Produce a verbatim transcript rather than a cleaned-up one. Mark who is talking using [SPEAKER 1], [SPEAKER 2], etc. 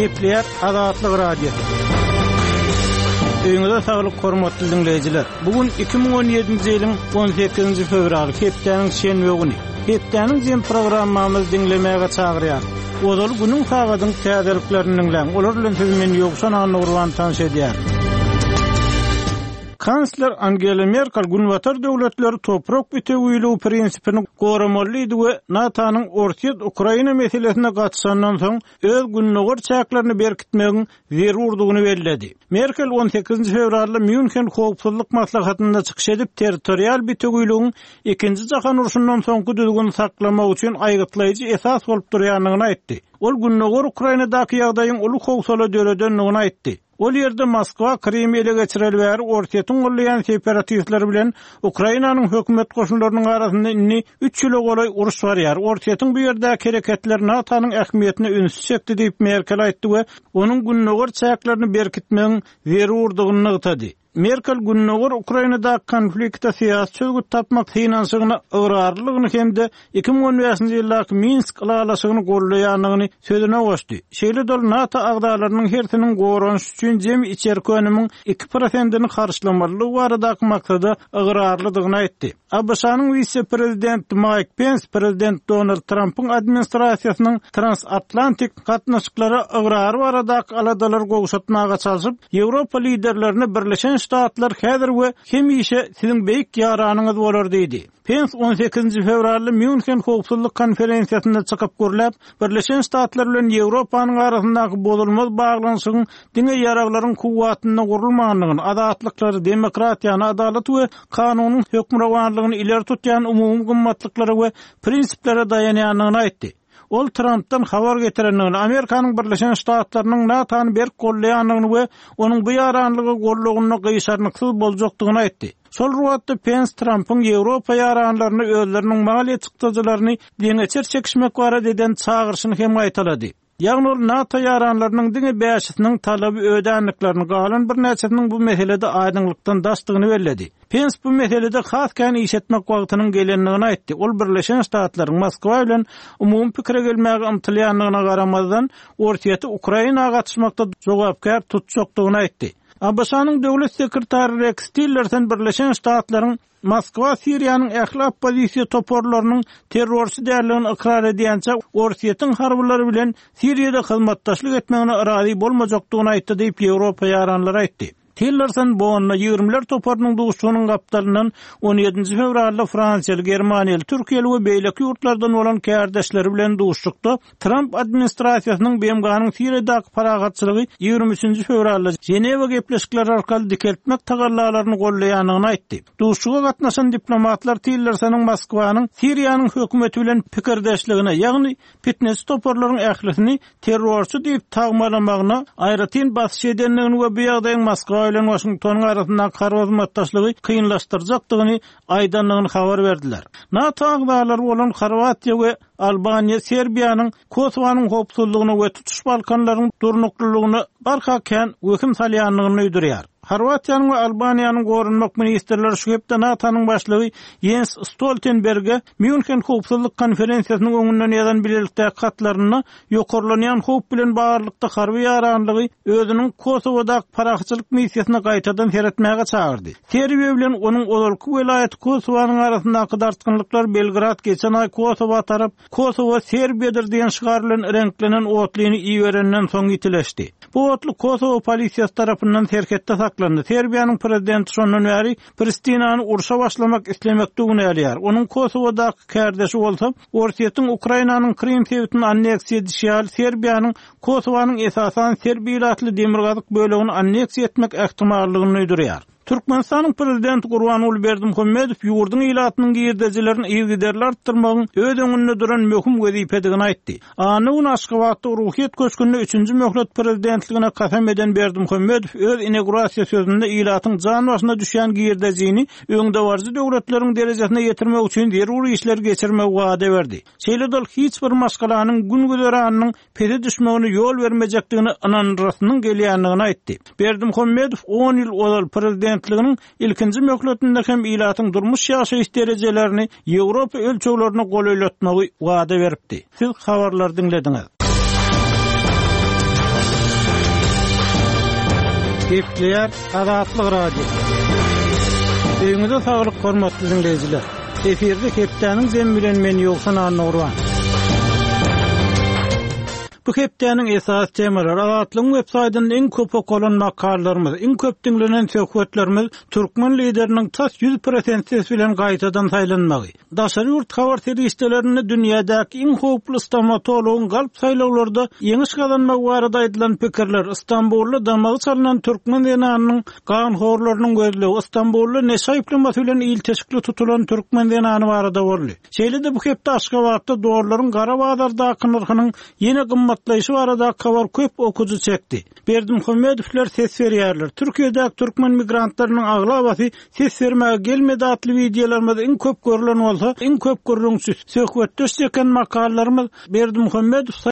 [SPEAKER 1] Gepleýär Azatlyk Radiosy. Öýüňize saglyk hormatly diňleýjiler. Bu gün iki müň on ýedinji ýylyň on sekizinji fewraly, hepdäniň şenbe güni. Hepdäniň jem programmamyzy diňlemäge çagyrýar. Ozal günüň sagadyň täzeliklerini diňläň. Olar bilen sizi men Ýowşan Annagurban tanyş edýär. Kansler Angela Merkel Günbatar döwletleri toprak bitewiligi prinsipini goramalydy we NATO-nyň Orsýet-Ukraina meselesine gatyşandan soň öz gündogar çäklerini berkitmegiň zerurdygyny belledi. Merkel on sekizinji fewralda München howpsuzlyk maslahatynda çykyş edip, territorial bitewiligiň ikinji jahan urşundan soňky düzgüni saklamak üçin aýgytlaýjy esas bolup durýandygyny aýtdy. Ol Gündogar Ukrainadaky ýagdaýyň uly howsala döredendigini aýtdy. Ol ýerde Moskwa Krym ele geçireli bäri Orsýetiň gollaýan separatistleri bilen Ukrainanyň hökümet goşunlarynyň arasynda indi üç ýyla golaý uruş barýar. Orsýetiň bu ýerdäki hereketleri NATO-nyň ähmiýetine ünsi çekdi diýip Merkel aýtdy we onuň gündogar çäklerini berkitmegiň zerurdygyny nygtady. Merkel gündogar Ukrainadaky konflikte syýasy çözgüt tapmak synanyşygyna ygrarlylygyny hem-de iki müň on bäşinji ýyldaky Minsk ylalaşygyny gollaýandygyny sözüne goşdy. Şeýle-de ol NATO agzalarynyň hersiniň goranyş üçin jemi içerki önümiň iki prosentini harçlamalydygy baradaky maksada ygrarlydygyny aýtdy. A B Ş-nyň wise-prezidenti Mike Pence prezident Donald Trumpyň administrasiýasynyň transatlantik gatnaşyklara ygrary baradaky aladalar gowşatmaga çalşyp, Ýewropa liderlerine Birleşen Ştatlar häzir we hemişe siziň beýik ýaranyňyz bolar diýdi. Pence on sekizinji fewralda München howpsuzlyk konferensiýasynda çykyp gürläp, Birleşen Ştatlar bilen Ýewropanyň arasyndaky bozulmaz baglanyşygyň diňe ýaraglaryň kuwwatynda gurulmandygyny, azatlyklary, demokratiýany, adalaty we kanunyň hökmürowanlygyny ileri tutýan umumy gymmatlyklara we prinsiplere daýanýandygyny aýtdy. Ol Trumpdan habar getirendigini, Amerikanyň Birleşen Ştatlarynyň NATO-ny berk gollaýandygyny we onuň bu ýaranlygy gollagynda gyşarnyksyz boljakdygyny aýtdy. Şol wagtda Pence Trumpyň Ýewropa ýaranlaryny özleriniň maliýe çykdajylaryny deňeçer çekişmek barada eden çagyryşyny hem gaýtalady. Ýagny ol NATO ýaranlarynyň diňe bäşisiniň talaby ödänliklerini, galan birnäçesiniň bu meselede aýdyňlykdan daşdygyny belledi. Pence bu meselede has kän iş etmek wagtynyň gelendigini aýtdy. Ol Birleşen Ştatlaryň Moskwa bilen umumy pikire gelmäge ymtylýandygyna garamazdan, Orsýeti Ukraina gatyşmakda jogapkär tutjakdygyny aýtdy. A B Ş-nyň döwlet sekretary Rex Tillerson Birleşen Ştatlaryň Moskwa Siriýanyň ähli oppozisiýa toparlarynyň terrorçy däldigini ykrar edýänçe Orsýetiň harbylary bilen Siriýada hyzmatdaşlyk etmegine razy bolmajakdygyny aýtdy diýip Ýewropa ýaranlary aýtdy. Tillerson Bonna ýigirmiler toparynyň duşunyň gapdalyndan on ýedinji fewralda Fransiýaly, Germaniýaly, Türkiýeli we beýleki ýurtlardan bolan kärdeşleri bilen duşuşykda Trump administrasiýasynyň B M G-nyň Siriýadaky parahatçylygy ýigrimi üçünji fewralda Ženewa gepleşikleri arkaly dikeltmek tagallalaryny gollaýandygyny aýtdy. Duşuşyga gatnaşan diplomatlar Tillersonyň Moskwanyň Siriýanyň hökümeti bilen pikirdeşligine, ýagny fitness toparlaryň ählisini terrorçy diýip tagmalamagyna aýratyn basyş edendigini we bu ýagdaýyň Moskwa bilen Waşingtonyň arasyndaky harby hyzmatdaşlygy kynlaşdyrjakdygyny aýdandygyny habar berdiler. NATO agzalary bolan Horwatiýa we Albaniýa Serbiýanyň Kosowanyň howpsuzlygyna we tutuş Balkanlaryň durnuklylygyna barha kän wehim salýandygyny duýdurýar. Horwatiýanyň we Albaniýanyň goranmak ministrleri şu hepde NATO-nyň başlygy Jens Stoltenberge München howpsuzlyk konferensiýasynyň öňünden ýazan bilelikdäki hatlarynda ýokarlanýan howp bilen baglylykda harby ýaranlygy özüniň Kosowadaky parahatçylyk missiýasyna gaýtadan seretmäge çagyrdy. Serbiýa bilen onuň ozalky welaýaty Kosowanyň arasyndaky dartgynlyklar Belgrad geçen aý Kosowa tarap Kosowa Serbiýadyr diýen şygar bilen reňklenen otlyny iberenden soň ýitileşdi. Bu otly Kosowa polisiýasy tarapyndan serhetde saklandy. Serbiýanyň prezidenti şondan bäri Pristinany urşa başlamak islemekde günälýär. Onuň Kosowadaky kärdeşi bolsa Orsýetiň Ukrainanyň Krym sebitini anneksiýa edişi ýaly Serbiýanyň Kosowanyň esasan serb ilatly demirgazyk bölegini anneksiýa etmek ähtimallygyny duýdurýar. Türkmenistanyň prezidenti Gurbanguly Berdimuhamedow ýurduň ilatynyň girdejilerini yzygiderli artdyrmagyň öz öňünde duran möhüm wezipedigini aýtdy. Anna gün Aşgabatda Ruhyýet köşgünde üçünji möhlet prezidentligine kasam eden Berdimuhamedow öz inaugurasiýa sözünde ilatyň jan başyna düşýän girdejini öňdebaryjy döwletleriň derejesine ýetirmek üçin zerur işleri geçirmegi wada berdi. Şeýle-de ol hiç bir maşgalanyň gün güzeranynyň pese düşmegine ýol bermejekdigini ynandyrasynyň gelýändigini aýtdy. Berdimuhamedow on ýyl ozal prezidentliginiň ilkinji möhletinde hem ilatyň durmuş ýaşaýyş derejelerini Ýewropa ölçeglerine golaýlatmagy wada beripdi. Siz habarlary diňlediňiz. Gepleýär Azatlyk Radiosy. Öýüňize saglyk hormatly dinleýjiler. Efirde hepdäniň jemi bilen men Ýowşan Annagurban. Bu hepdäniň esasy temalary Azatlygyň web saýtynda iň köp okalan makalalarymyz, iň köp diňlenen söhbetlerimiz türkmen lideriniň tas ýüz prosent ses bilen gaýtadan saýlanmagy, daşary ýurt habar serişdelerinde dünýädäki iň howply stomatologyň galp saýlawlarda ýeňiş gazanmagy barada aýdylan pikirler, Istanbulda damagy çalynan türkmen zenanynyň ganhorlarynyň gözlegi, Istanbulda neşe aýyplamasy bilen ilteşikli tutulan türkmen zenany barada boldy. Şeýle-de bu hepde Aşgabatda dollaryň gara bazardaky nyrhynyň ýene gymmatlaýşy baradaky habar köp okyjy çekdi. Berdimuhamedowlar ses berýärler. Türkiýedäki türkmen migrantlarynyň aglabasy ses bermäge gelmedi atly wideolarymyz iň köp görülen bolsa, iň köp gürrüňçi, söhbetdeş çeken makalalarymyz Berdimuhamedow